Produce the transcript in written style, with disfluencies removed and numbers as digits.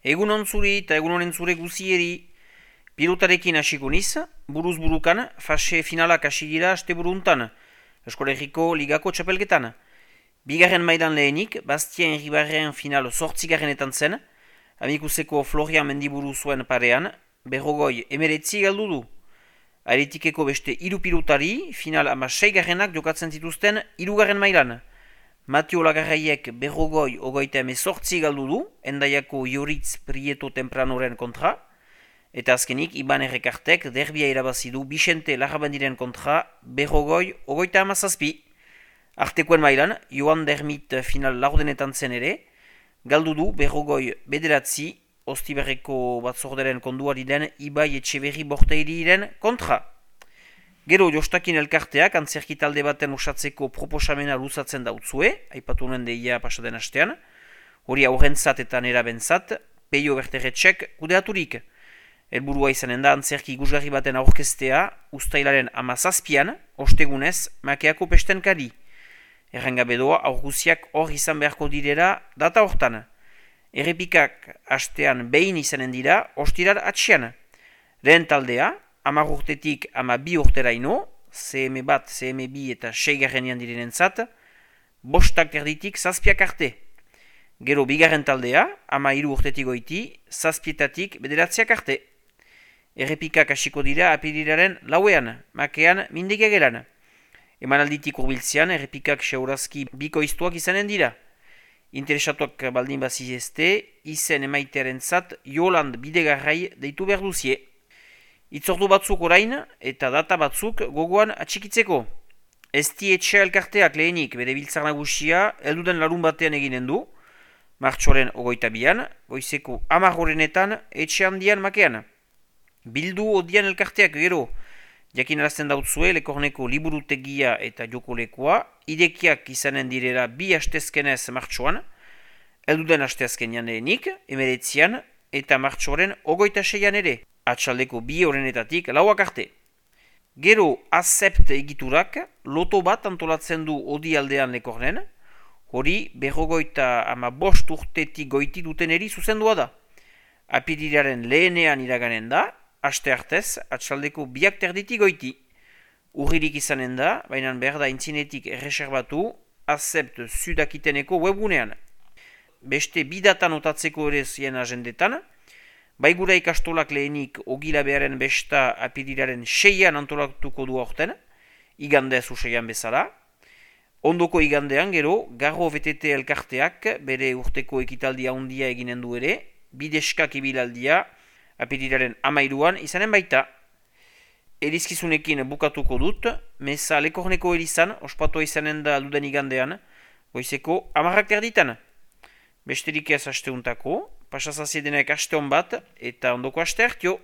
Egun on zuri eta egun honen zure guzieri. Pilotarekin hasiko niz, buruz burukan, fase finalak hasi dira asteburu untan, Eskolegiko ligako txapelketan. Bigarren mailan lehenik, Bastien Ribarren final 8garrenetan zen, amikuseko Florian Mendiburu zuen parean, berrogoi emeretzi galdu du. Aretikeko beste hiru pilotari, final 16garrenak jokatzen zituzten hirugarren mailan. Mateo Lagarraiek berrogoi ogoita emezortzi galdu du, Endaiako Joritz Prieto Tempranoren kontra, eta azkenik Iban Errekartek derbia irabazi du Bixente Larrabandiren kontra berrogoi ogoita amazazpi. Artekoen mailan, Joan Dermit final laurdenetan zen ere, galdu du berrogoi bederatzi, Ostiberreko batzorderen konduari den Ibai Etxeberri Borteiriren kontra. Gero Jostakin elkarteak antzerki talde baten osatzeko proposamena luzatzen dautzue, aipatu nuen deia pasaden astean, hori aurrentzat eta nerabentzat, Peio Berterretxek kudeaturik. Helburua izanen da antzerki ikusgarri baten aurkeztea, ustailaren 17an, ostegunez, Makeako pestenkari. Errengabedoa aurguziak hor izan beharko direra data hortan. Errepikak astean behin izanen dira, ostirar atxian. Lehen taldea, 10 urtetik 12 urteraino, CM bat, CM2 eta 6garrenian direnentzat, 5 erditik 7 arte. Gero bigarren taldea, 13 urtetik goiti, 7etatik 9 arte. Errepikak hasiko dira apirilaren 4ean, Makean mindega geran. Emanalditik urbiltzean, errepikak seurazki bikoiztuak izanen dira. Interesatuak baldin bazizeste, izen emaitearen zat Joland Bidegarrai deitu behar duzie. Itzordu batzuk orain eta data batzuk gogoan atxikitzeko. Esti etxea elkarteak lehenik bere biltzar nagusia helduden larun batean eginen du, martxoren 22an, goizeko 10 etxe handian Makean. Bildu odian elkarteak gero, jakinarazten dautzue Lekorneko liburutegia eta jokolekoa, idekiak izanen direra 2 astezkenez martxoan, helduden astezkenian lehenik, 19an eta martxoren 26an ere. Atxaldeko 2 horrenetatik 4 arte. Gero azept egiturak loto bat antolatzen du odi aldean Lekornen, hori berrogoita 15 urtetik goiti duten eri zuzendua da. Apirilaren lehenean iraganen da, aste artez, atxaldeko 2 terditik goiti. Urririk izanen da, baina behar da intzinetik erreserbatu azept zudakiteneko webgunean. Beste bidatan notatzeko ere zien agendetan, Baigura ikastolak lehenik Ogilabearen besta apirilaren 6an antolatuko du aurten, igandez usaian bezala. Ondoko igandean gero, Garro VTT elkarteak bere urteko ekitaldia handia eginen du ere, bideskak ibilaldia apirilaren 13an izanen baita. Erizkizunekin bukatuko dut, meza Lekorneko erizan, ospatua izanen da alduden igandean, goizeko 10 erditan. Besterik ez asteuntako, pasazazie denek aste hon bat, eta ondoko aste hartio.